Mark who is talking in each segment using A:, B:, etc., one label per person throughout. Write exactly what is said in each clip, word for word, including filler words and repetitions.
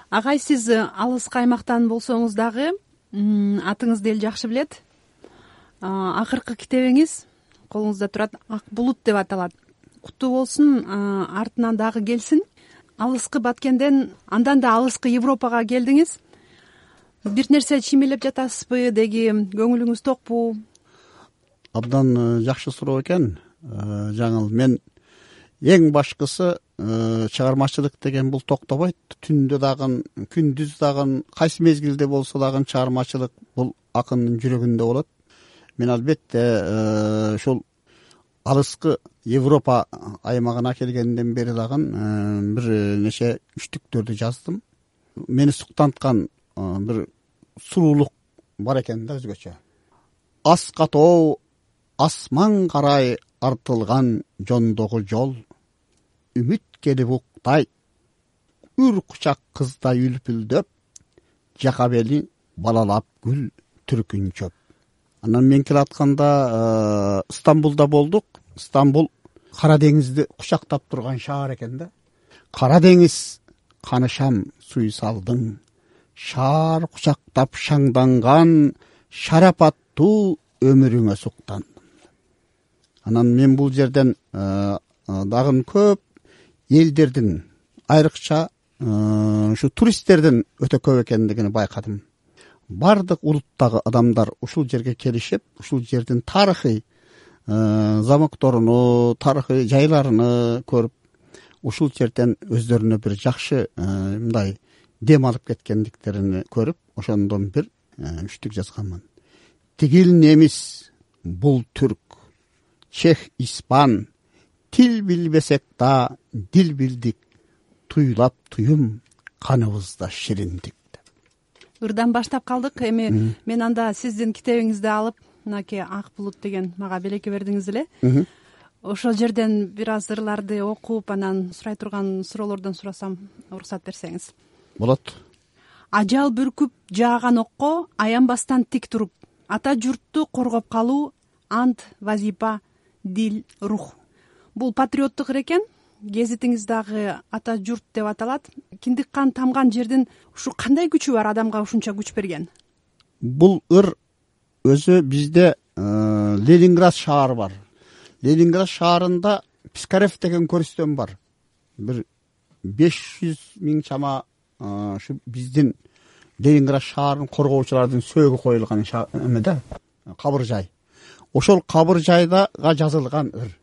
A: Агай, сиз алыскы аймактан болсоңуз дагы атыңызды эл жакшы билет. Акыркы китебиңиз колуңузда турат, Ак булут деп аталат. Куттуу болсун, артынан дагы келсин. Алыскы Баткенден андан да алыскы Европага келдиңиз. Бир нерсе чимелеп жатасызбы, деги көңүлүңүз токпу?
B: Абдан жакшы суроо экен. Жаңыл, мен эң башкысы чыгармачылык деген бул токтобойт. Түндө дагы, күндүз дагы, кайсы мезгилде болсо дагы чыгармачылык бул акындын жүрөгүндө болот. Мен албетте ушул алыскы Европа аймагына келгенден бери дагы бир нече үчтүктөрдү жаздым. Мени суктанткан бир суруулук бар экен да өзгөчө. Ас катоо асман карай артылган жондогу жол, үмүт келип уктайт, үр кучак кыздай үлпүлдөп, жака бели балалап гүл түркүнчөп. Анан мен келатканда Стамбулда болдук. Стамбул Кара деңизди кучактап турган шаар экен да. Кара деңиз канышам суйсалдың, шаар кучактап шаңданган шарапаттуу өмүрүңө суктандым. Анан мен бул жерден дагы көп элдердин, айрыкча ушу туристтердин өтө көп экендигин байкадым. Бардык улуттагы адамдар ушул жерге келишип, ушул жердин тарыхый замокторуну, тарыхый жайларыны көрүп, ушул жерден өздөрүнө бир жакшы мындай дем алып кеткендиктерин көрүп, ошондон бир үчтүк жазганмын. Тигил немис, бул түрк, чех, испан, тил билбесек да дил билдик, туйлап туюм каныбызда шириндик.
A: Ырдан баштап калдык. Эми мен анда сиздин китебиңизди алып, мынакей Ак булут деген мага белекке бердиңиз эле. Ошол жерден бир аз ырларды окуп, анан сурай турган суроолордон сурасам, уруксат берсеңиз.
B: Болот.
A: Ажал бүркүп жааган окко аянбастан тик туруп, ата журтту коргоп калуу ант, вазипа, дил, рух. Бул патриоттук ыр экен. Гезитиңиз дагы ата журт деп аталат. Киндик кан тамган жердин ушу кандай күчү бар, адамга ушунча күч берген?
B: Бул ыр өзү бизде Ленинград шаары бар. Ленинград шаарында Пискарев деген көрүстөн бар. Бир беш жүз миң чама ушу биздин Ленинград шаарын коргоочулардын сөөгү коюлган эмеде, кабыр жай. Ошол кабыр жайдага жазылган ыр.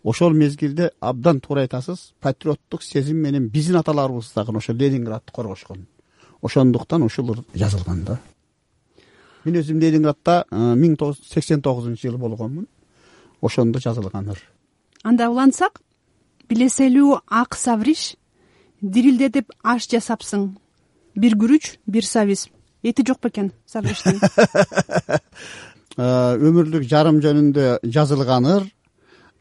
B: Ошол мезгилде абдан туура айтасыз, патриоттук сезим менен биздин аталарыбыз дагы ошо Ленинградты коргошкон. Ошондуктан ушул ыр жазылган да. Мен өзүм Ленинградда миң тогуз жүз сексен тогузунчу жылы болгонмун. Ошондо жазылган ыр.
A: Анда улантсак, билеселүү ак савриш, дирилдетип аш жасапсың. Бир күрүч, бир сабиз. Эти жок бекен савриштин?
B: Өмүрлүк жарым жөнүндө жазылган ыр.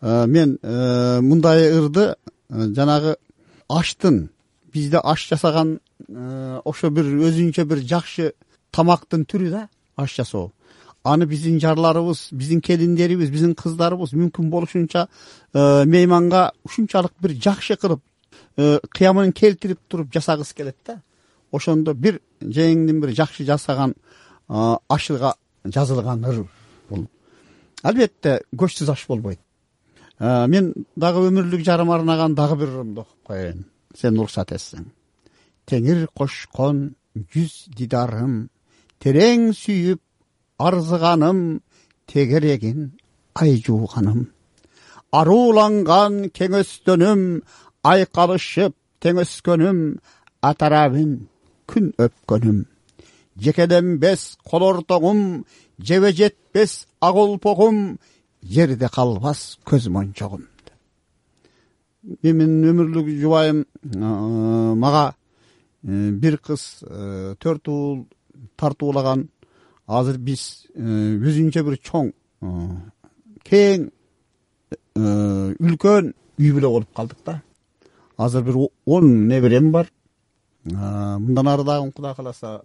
B: Мен мындай ырды жанагы аштын, бизде аш жасаган ошо бир өзүнчө бир жакшы тамактын түрү да, аш жасоо. Аны биздин жарларыбыз, биздин келиндерибиз, биздин кыздарыбыз мүмкүн болушунча мейманга ушунчалык бир жакшы кылып, кыямын келтирип туруп жасагысы келет да. Ошондо бир жеңиңдин бир жакшы жасаган ашыга жазылган ыр бул. Албетте көчсүз аш болбойт. Мен дагы өмүрлүк жарым арнаган дагы бир ырымды окуп коеюн, сен уруксат этсең. Теңир кошкон жүз дидарым, терең сүйүп арзыганым, тегерегин ай жууганым. Арууланган кеңөстөнүм, айкалышып теңөскөнүм, атарабын күн өпкөнүм. Жекеленбес кол ортоңум, жебе жетпес ак олпогум, жерде калбас көз мончогум. Менин өмүрлүк жубайым мага бир кыз төрт уул тартуулаган. Азыр биз өзүнчө бир чоң, кең, үлкөн үй бүлө болуп калдык да. Азыр бир он неберем бар. Мындан ары дагы Кудай кааласа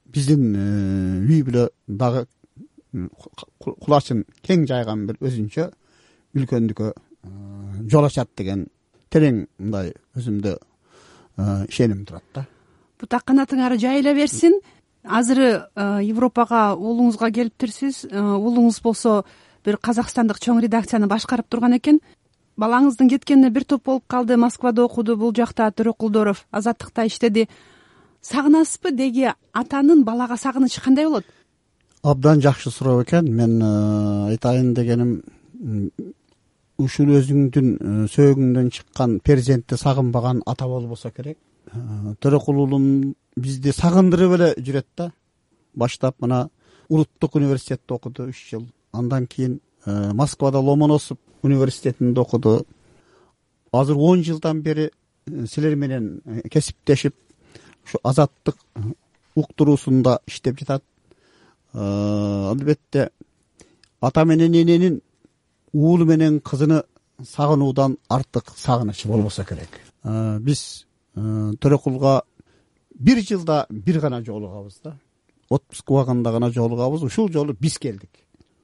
B: биздин үй бүлө дагы кулачын кең жайган бир өзүнчө үлкөндүккө жол ачат деген терең мындай өзүмдө ишеним турат да.
A: бутак канатыңар жайыла берсин. Азыр Европага уулуңузга келиптирсиз. Уулуңуз болсо бир казакстандык чоң редакцияны башкарып турган экен. Балаңыздын кеткенине бир топ болуп калды. Москвада окуду, бул жакта Төрөкулдоров Азаттыкта иштеди. Сагынасызбы? Деги атанын балага сагынычы кандай болот?
B: Абдан жакшы суроо экен. Мен айтайын дегеним, ушул өзүңдүн сөөгүңдөн чыккан перзентти сагынбаган ата болбосо керек. Төрөкул уулум бизди сагындырып эле жүрөт да. Баштап мына Улуттук университетте окуду үч жыл. Андан кийин Москвада Ломоносов университетинде окуду. Азыр он жылдан бери силер менен кесиптешип, ушу Азаттык уктуруусунда иштеп жатат. Албетте ата менен эненин уулу менен кызыны сагынуудан артык сагыныч болбосо керек. Биз Төрөкулга бир жылда бир гана жолугабыз да. Отпуск убагында гана жолугабыз. Ушул жолу биз келдик.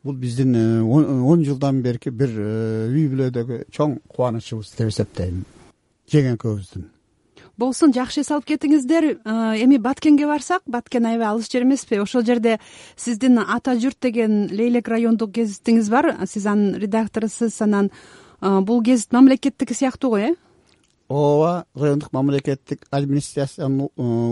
B: Бул биздин он жылдан берки бир үй бүлөдөгү чоң кубанычыбыз деп эсептейм. Жеңекебиздин.
A: Болсун, жакшы эс алып кетиңиздер. Эми Баткенге барсак, Баткен аябай алыс жер эмеспи? Ошол жерде сиздин Ата журт деген Лейлек райондук гезитиңиз бар. Сиз анын редакторусуз. Анан бул гезит мамлекеттики сыяктуу го, э?
B: Ооба, райондук мамлекеттик администрациянын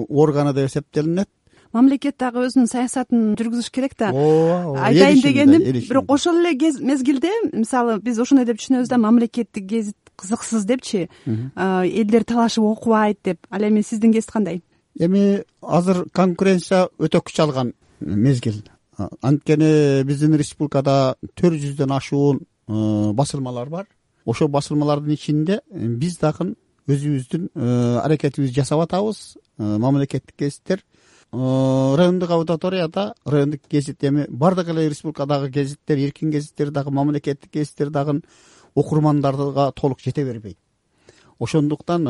B: органы деп эсептелинет.
A: Мамлекет дагы өзүнүн саясатын жүргүзүш керек да.
B: Ооба,
A: айтайын дегеним, бирок ошол эле мезгилде, мисалы, биз ошондой деп түшүнөбүз да, мамлекеттик гезит кызыксыз депчи, элдер талашып окубайт деп. Ал эми сиздин гезит кандай?
B: Эми азыр конкуренция өтө күч алган мезгил. Анткени биздин республикада төрт жүздөн ашуун басылмалар бар. Ошол басылмалардын ичинде биз дагы өзүбүздүн аракетибизди жасап атабыз. Мамлекеттик гезиттер райондук аудиторияда, райондук гезит эми бардык эле республикадагы гезиттер, эркин гезиттер дагы, мамлекеттик гезиттер дагы окурмандарга толук жете бербейт. Ошондуктан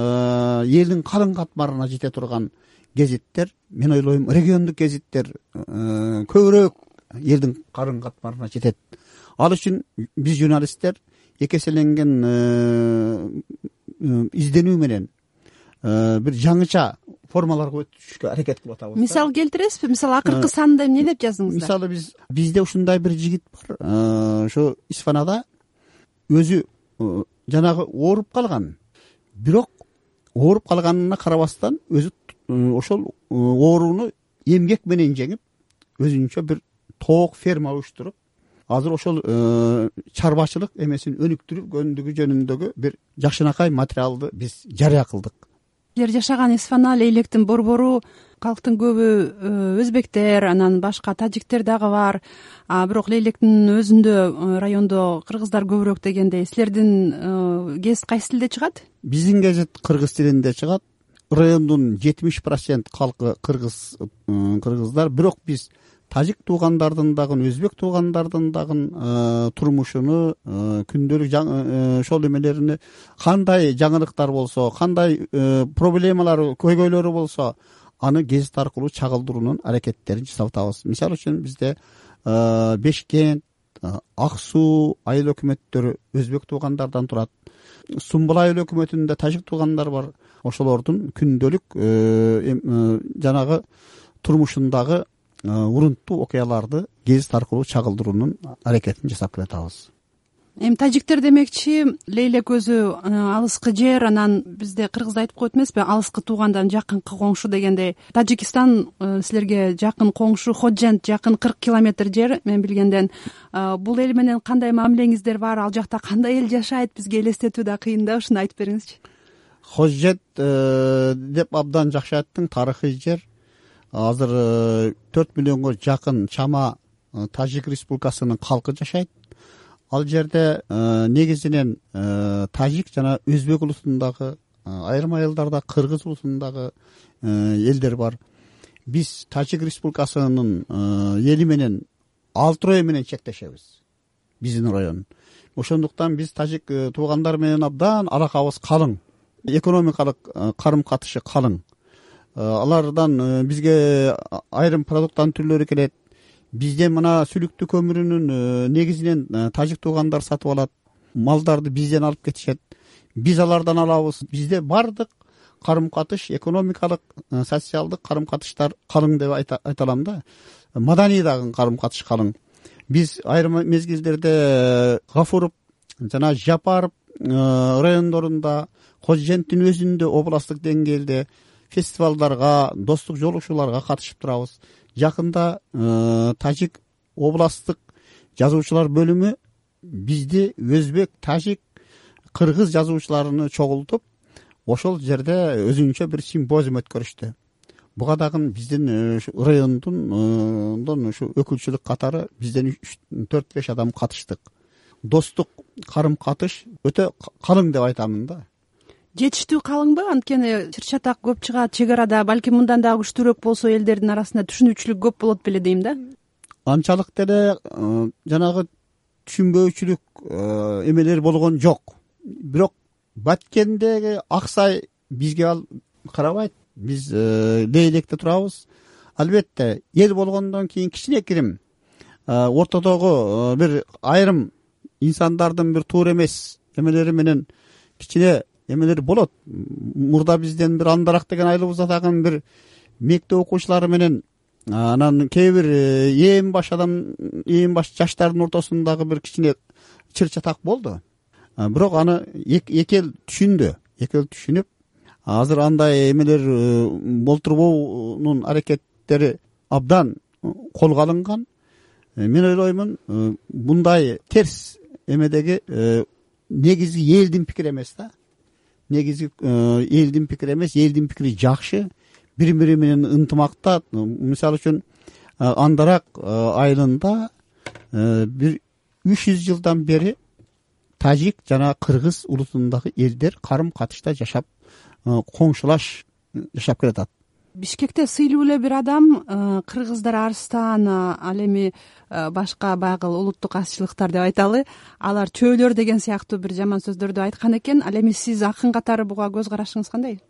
B: элдин калың катмарына жете турган гезиттер, мен ойлойм, региондук гезиттер көбүрөөк элдин калың катмарына жетет. Ал үчүн биз журналисттер эки эселенген изденүү менен бир жаңыча формаларга өтүшкө аракет кылып атабыз.
A: Мисал келтиресизби? Мисалы акыркы санда эмне деп жаздыңыздар?
B: Мисалы биз бизде ушундай бир жигит бар. Ошо Исфанада өзү жанагы ооруп калган. Бирок ооруп калганына карабастан өзү ошол ооруну эмгек менен жеңип, өзүнчө бир тоок ферма уюштуруп, азыр ошол чарбачылык эмесин өнүктүргөндүгү жөнүндөгү бир жакшынакай материалды биз жарыя кылдык.
A: Силер жашаган Исфана, Лейлектин борбору, калктын көбү өзбектер, анан башка тажиктер дагы бар. А бирок Лейлектин өзүндө райондо кыргыздар көбүрөөк дегендей. Силердин гезит кайсы тилде чыгат?
B: Биздин гезит кыргыз тилинде чыгат. Райондун жетимиш процент калкы кыргыз кыргыздар, бирок биз тажик туугандардын дагы, өзбек туугандардын дагы турмушуну, күндөлүк ошол эмелеrini, кандай жаңылыктар болсо, кандай проблемалар, көйгөйлөрү болсо, аны гезит аркылуу чагылдыруунун аракеттерин жасап атабыз. Мисалы үчүн бизде Бешкент, Ак суу айыл өкмөттөрү өзбек туугандардан турат. Сумбул айыл өкмөтүндө тажик туугандар бар. Ошолордун күндөлүк жанагы турмушундагы урунттуу окуяларды гезит аркылуу чагылдыруунун аракетин жасап келатабыз.
A: Эми тажиктер демекчи, Лейлек өзү алыскы жер, анан бизде кыргызда айтып коет эмеспи, алыскы туугандан жакынкы коңшу дегендей. Тажикистан силерге жакын коңшу, Ходжент жакын кырк километр жер, мен билгенден. Бул эл менен кандай мамилеңиздер бар? Ал жакта кандай эл жашайт? Бизге элестетүү да кыйын да, ушуну айтып бериңизчи.
B: Ходжент деп абдан жакшы айттың, тарыхый жер. Азыр төрт миллионго жакын чама Тажик республикасынын калкы жашайт. Ал жерде негизинен тажик жана өзбек улутундагы, айрым айылдарда кыргыз улутундагы элдер бар. Биз Тажик республикасынын эли менен Алтырой менен чектешебиз. Биздин район. Ошондуктан биз тажик туугандар менен абдан алакабыз калың. Экономикалык карым-катышы калың. Алардан бизге айрым продукттан түрлөрү келет. Бизде мына сүлүктүү көмүрүнүн негизинен тажик туугандар сатып алат. Малдарды бизден алып кетишет. Биз алардан алабыз. Бизде бардык карым катыш, экономикалык, социалдык карым катыштар калың деп айта алам да. Маданий дагы карым катыш калың. Биз айрым мезгилдерде Гафуров жана Жапаров райондорунда, Кожженттин өзүндө областтык деңгээлде фестивалдарга, достук жолугушууларга катышып турабыз. Жакында Тажик областтык жазуучулар бөлүмү бизди өзбек, тажик, кыргыз жазуучуларын чогултуп, ошол жерде өзүнчө бир симпозиум өткөрүштү. Буга дагы биздин райондун ушу өкүлчүлүк катары бизден төрт беш адам катыштык. Достук карым катыш өтө калың деп айтамын да.
A: Жетиштүү калыңбы? Анткени чыр чатак көп чыгат чек арада, балким мындан дагы күчтүүрөөк болсо элдердин арасында түшүнүүчүлүк көп болот беле дейм да.
B: Анчалык деле жанагы түшүнбөөчүлүк эмелер болгон жок. Бирок Баткендеги Аксай бизге ал карабайт. Биз лейлекте турабыз. Албетте эл болгондон кийин кичинекирим ортодогу бир айрым инсандардын бир туура эмес эмелери менен кичине эмелер болот. Мурда бизден бир Андарак деген айылыбызда дагы бир мектеп окуучулары менен анан кээ бир ээн баш адам, ээн баш жаштардын ортосундагы бир кичине чыр чатак болду. Бирок аны эки эл түшүндү. Эки эл түшүнүп, азыр андай эмелер болтурбоонун аракеттери абдан колго алынган. Мен ойлоймун, мындай терс эмедеги негизги элдин пикири эмес да. Негизги элдин пикири эмес, элдин пикири жакшы. Бири-бири менен ынтымакта. Мисалы үчүн Андарак айылында бир үч жүз жылдан бери тажик жана кыргыз улутундагы элдер карым катышта жашап, коңшулаш жашап келатат.
A: Бишкекте сыйлуу эле бир адам, кыргыздар Арстан, ал эми башка баягы улуттук азчылыктар деп айталы, алар чөөлөр деген сыяктуу бир жаман сөздөрдү айткан экен. Ал эми сиз акын катары буга көз карашыңыз кандай?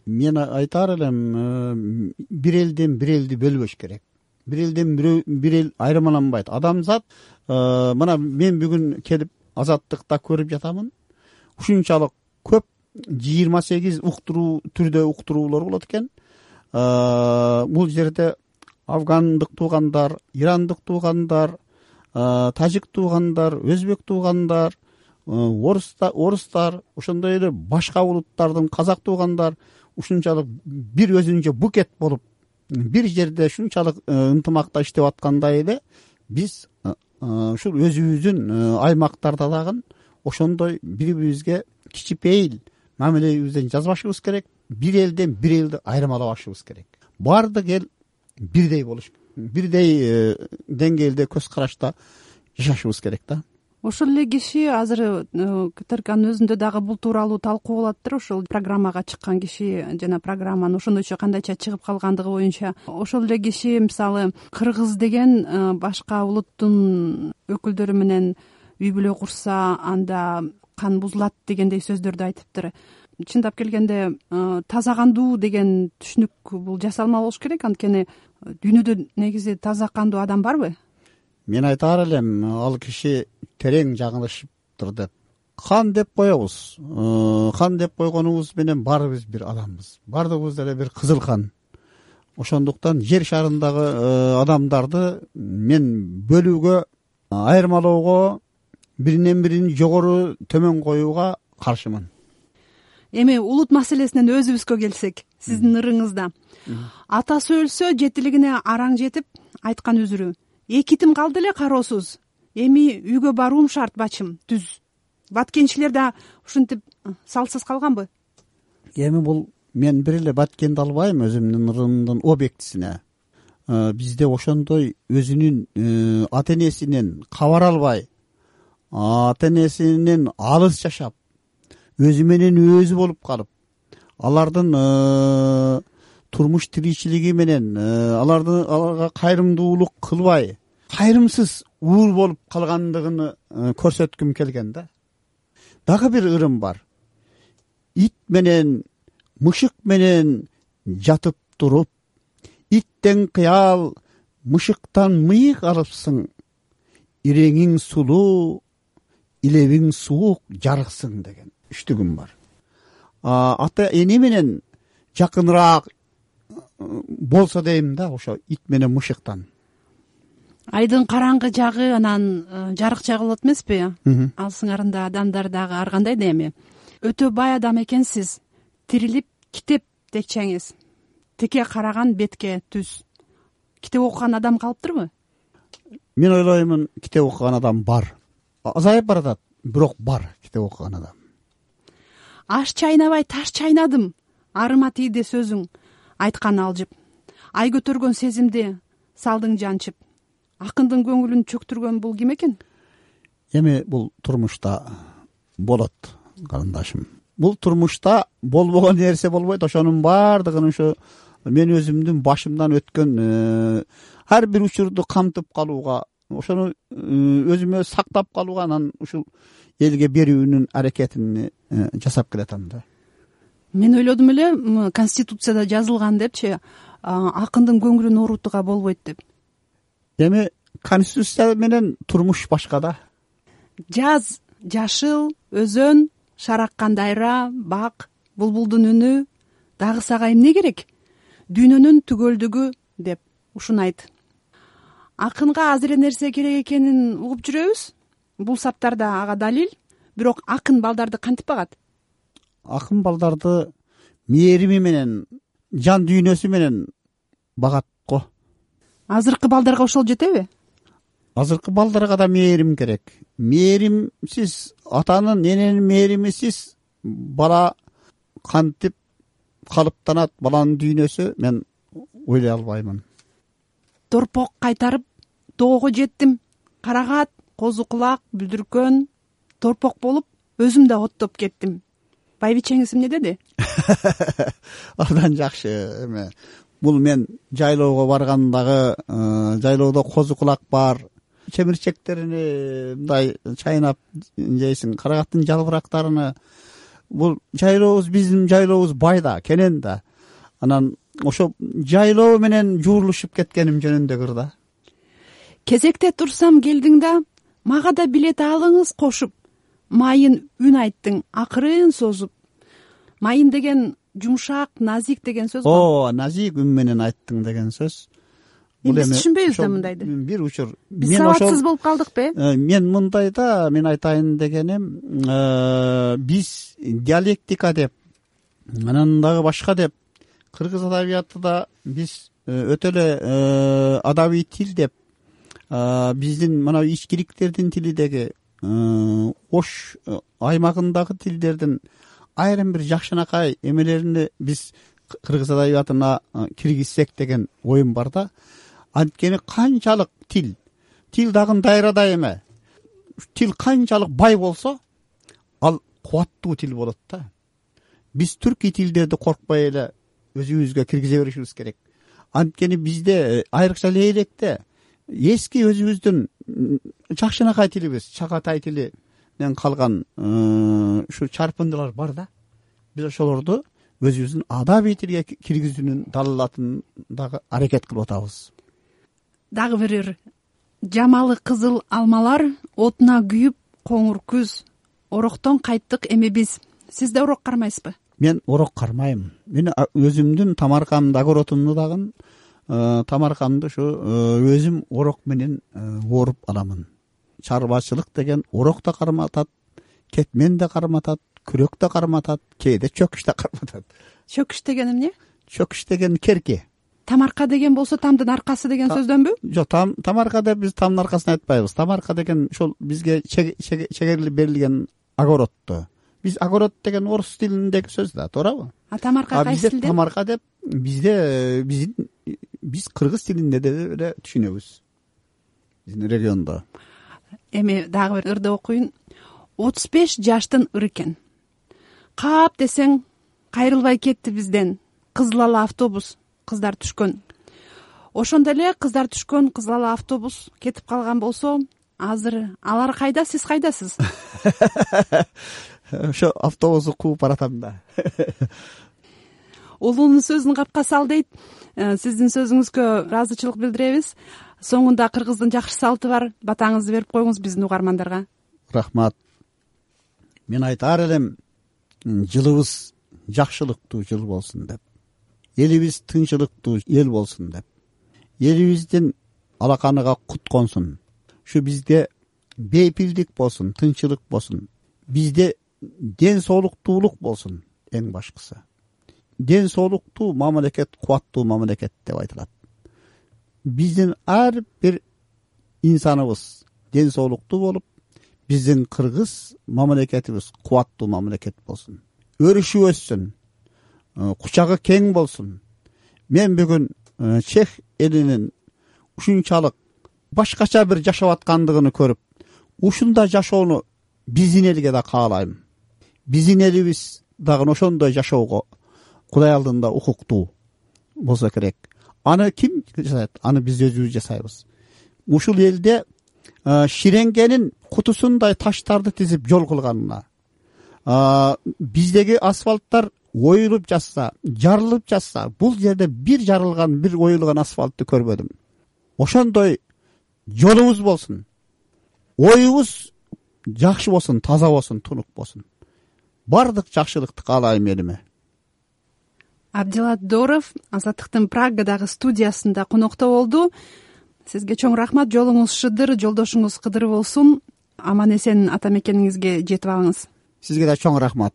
B: Мен айтар элем, бир элден бир элди бөлбөш керек. Бир элден бир эл айырмаланбайт. Адамзат, мына мен бүгүн келип Азаттыкта көрүп жатамын. Ушунчалык көп жыйырма сегиз уктуруу түрдө уктуруулар болот экен. Бул жерде афгандык туугандар, ирандык туугандар, тажик туугандар, өзбек туугандар, орустар, ошондой эле башка улуттардын казак туугандар ушунчалык бир өзүнчө букет болуп, бир жерде ушунчалык ынтымакта иштеп аткандай эле биз ушул өзүбүздүн аймактарда дагы ошондой бири-бирибизге кичипейил мамилебизден жазбашыбыз керек. Бир элден бир элди айырмалабашыбыз керек. Баардык эл бирдей болуш, бирдей деңгээлде көз карашта жашашыбыз керек да.
A: Ошол эле киши азыр КТРКнын өзүндө дагы бул тууралуу талкуу болуп атыптыр. Ошол программага чыккан киши жана программанын ошондойчо кандайча чыгып калгандыгы боюнча ошол эле киши мисалы кыргыз деген башка улуттун өкүлдөрү менен үй бүлө курса анда кан бузулат дегендей сөздөрдү айтыптыр. Чындап келгенде таза кандуу деген түшүнүк бул жасалма болуш керек. Анткени дүйнөдө негизи таза кандуу адам барбы?
B: Мен айтар элем, ал киши терең жаңылышыптыр деп. Кан деп коебуз. Кан деп койгонубуз менен баарыбыз бир адамбыз. Баардыгыбыз деле бир кызыл кан. Ошондуктан жер шарындагы адамдарды мен бөлүүгө, айырмалоого, биринен бирин жогору төмөн коюуга каршымын.
A: Эми улут маселесинен өзүбүзгө келсек, сиздин ырыңызда атасы өлсө жетилигине араң жетип айткан үзүрү: эки тим калды эле кароосуз, эми үйгө баруум шарт бачым, түз. Баткенчилер да ушинтип салсыз калганбы?
B: Эми бул мен бир эле Баткенди албайм өзүмдүн ырымдын объектисине. Бизде ошондой өзүнүн ата энесинен кабар албай, ата энесинен алыс жашап, өзү менен өзү болуп калып, алардын турмуш тиричилиги менен алардын аларга кайрымдуулук кылбай, кайрымсыз уур болуп калгандыгын көрсөткүм келген да. Дагы бир ырым бар. Ит менен, мышык менен жатып туруп, иттен кыял, мышыктан мыйык алыпсың, иреңиң сулуу, илебиң суук, жарыксың деген үчтүгүм бар. Ата эне менен жакыныраак болсо дейм да, ошо ит менен мышыктан.
A: Айдын караңгы жагы анан жарык жагы болот эмеспи? Ал сыңарында адамдар дагы ар кандай да эми. Өтө бай адам экенсиз, тирилип китеп текчеңиз, теке караган бетке түз. Китеп окуган адам калыптырбы?
B: Мен ойлоймун, китеп окуган адам бар. Азайып баратат, бирок бар китеп окуган адам.
A: Аш чайнабай таш чайнадым, арыма тийди сөзүң, айткан алжып. Ай көтөргөн сезимди салдың жанчып. Акындын көңүлүн чөктүргөн бул ким экен?
B: Эми бул турмушта болот, карындашым. Бул турмушта болбогон нерсе болбойт. Ошонун баардыгын ушу мен өзүмдүн башымдан өткөн ар бир учурду камтып калууга, ошону өзүмө сактап калууга, анан ушул элге берүүнүн аракетин жасап келатам да.
A: Мен ойлодум эле, Конституцияда жазылган депчи, акындын көңүлүн оорутууга болбойт деп.
B: Эми Конституция менен турмуш башка да.
A: Жаз, жашыл, өзөн, шараккан дайра, бак, булбулдун үнү, дагы сага эмне керек? Дүйнөнүн түгөлдүгү деп ушуну айт. Акынга азыр нерсе керек экенин угуп жүрөбүз. Бул саптарда ага далил. Бирок акын балдарды кантип багат?
B: Акын балдарды мээрими менен, жан дүйнөсү менен багат го.
A: Азыркы балдарга ошол жетеби?
B: Азыркы балдарга да мээрим керек. Мээримсиз, атанын, эненин мээримисиз бала кантип калыптанат, баланын дүйнөсү, мен ойлой албаймын.
A: Торпок кайтарып тоого жеттим. Карагат, козу кулак, бүлдүркөн, торпок болуп, өзүм да оттоп кеттим. Байбичеңиз эмне деди?
B: Андан жакшы эме. Бул мен жайлоого баргандагы, жайлоодо козу кулак бар, чемирчектерини мындай чайнап жейсиң, карагаттын жалбырактарыны. Бул жайлообуз, биздин жайлообуз бай да, кенен да. Анан ошо жайлоо менен жуурулушуп кеткеним жөнүндөгүр да.
A: Кезекте турсам келдиң да, мага да билет алыңыз кошуп, майын үн айттың, акырын созуп. Майын деген жумшак, назик деген сөз го.
B: О, назик үн менен айттың деген сөз.
A: Биз түшүнбөйбүз да мындайды.
B: Бир учур.
A: Биз сабатсыз болуп калдыкпы?
B: Мен мындайда, мен айтайын дегеним, биз диалектика деп, анан дагы башка деп, кыргыз адабиятында биз өтө эле адабий тил деп, биздин мына ичкиликтердин тилидеги, Ош аймагындагы тилдердин айрым бир жакшынакай эмелерини биз кыргыз адабиятына киргизсек деген оюм бар да. Анткени канчалык тил, тил дагы дайрада эме. Тил канчалык бай болсо, ал кубаттуу тил болот да. Биз түркий тилдерди коркпой эле өзүбүзгө киргизе беришибиз керек. Анткени бизде айрыкча лейлекте эски өзүбүздүн жакшынакай тилибиз, чагатай тилинен калган ушу чарпындылар бар да. Биз ошолорду өзүбүздүн адабий тилге киргизүүнүн далилатын дагы аракет кылып атабыз.
A: Дагы бир жамалы кызыл алмалар отуна күйүп, коңур күз. Ороктон кайттык эми биз. Сиз да орок кармайсызбы?
B: Мен орок кармайм. Мен өзүмдүн тамаркамдагы оротумду дагы тамаркамды ушу өзүм орок менен ооруп аламын. Чарбачылык деген орок да карматат, кетмен да карматат, күрөк да карматат, кээде чөкүш да карматат.
A: Чөкүш деген эмне?
B: Чөкүш деген керке.
A: Тамарка деген болсо тамдын аркасы деген сөздөнбү?
B: Жок, там тамарка деп биз тамдын аркасын айтпайбыз. Тамарка деген ошол бизге чегерилип берилген огородду. Биз огород деген орус тилиндеги сөз да, туурабы?
A: А тамарка кайсы тилде?
B: Тамарка деп бизде биздин биз кыргыз тилинде деле түшүнөбүз. Биздин региондо.
A: Эми дагы бир ырды окуйун. отуз беш жаштын ыр экен. Кап десең кайрылбай кетти бизден. Кызыл ала автобус, кыздар түшкөн. Ошондо эле кыздар түшкөн кызыл ала автобус кетип калган болсо, азыр алар кайда, сиз кайдасыз?
B: Ошо автобусту кууп баратам да.
A: Улуунун сөзүн капка сал дейт. Сиздин сөзүңүзгө ыраазычылык билдиребиз. Соңунда кыргыздын жакшы салты бар. Батаңызды берип коюңуз биздин угармандарга.
B: Рахмат. Мен айтар элем, жылыбыз жакшылыктуу жыл болсун деп. элибиз тынчылыктуу эл болсун деп, элибиздин алаканыга кут консун, ушу бизде бейпилдик болсун, тынчылык болсун, бизде ден соолуктуулук болсун. Эң башкысы ден соолуктуу мамлекет кубаттуу мамлекет деп айтылат. Биздин ар бир инсаныбыз ден соолуктуу болуп, биздин кыргыз мамлекетибиз кубаттуу мамлекет болсун, өрүшүп өссүн, кучагы кең болсун. Мен бүгүн чех элинин ушунчалык башкача бир жашап аткандыгын көрүп, ушундай жашоону биздин элге да каалайм. Биздин элибиз дагы ошондой жашоого Кудай алдында укуктуу болсо керек. Аны ким жасайт? Аны биз өзүбүз жасайбыз. Ушул элде ширенгенин кутусундай таштарды тизип жол кылганына, биздеги асфальттар оюлуп жатса, жарылып жатса, бул жерде бир жарылган, бир оюлган асфальтты көрбөдүм. Ошондой жолубуз болсун, оюбуз жакшы болсун, таза болсун, тунук болсун. Бардык жакшылыкты каалайм элиме.
A: Абдилат Дооров Азаттыктын Прагадагы студиясында конокто болду. Сизге чоң рахмат. Жолуңуз шыдыр, жолдошуңуз кыдыр болсун. Аман эсен ата мекениңизге жетип алыңыз.
B: Сизге да чоң рахмат.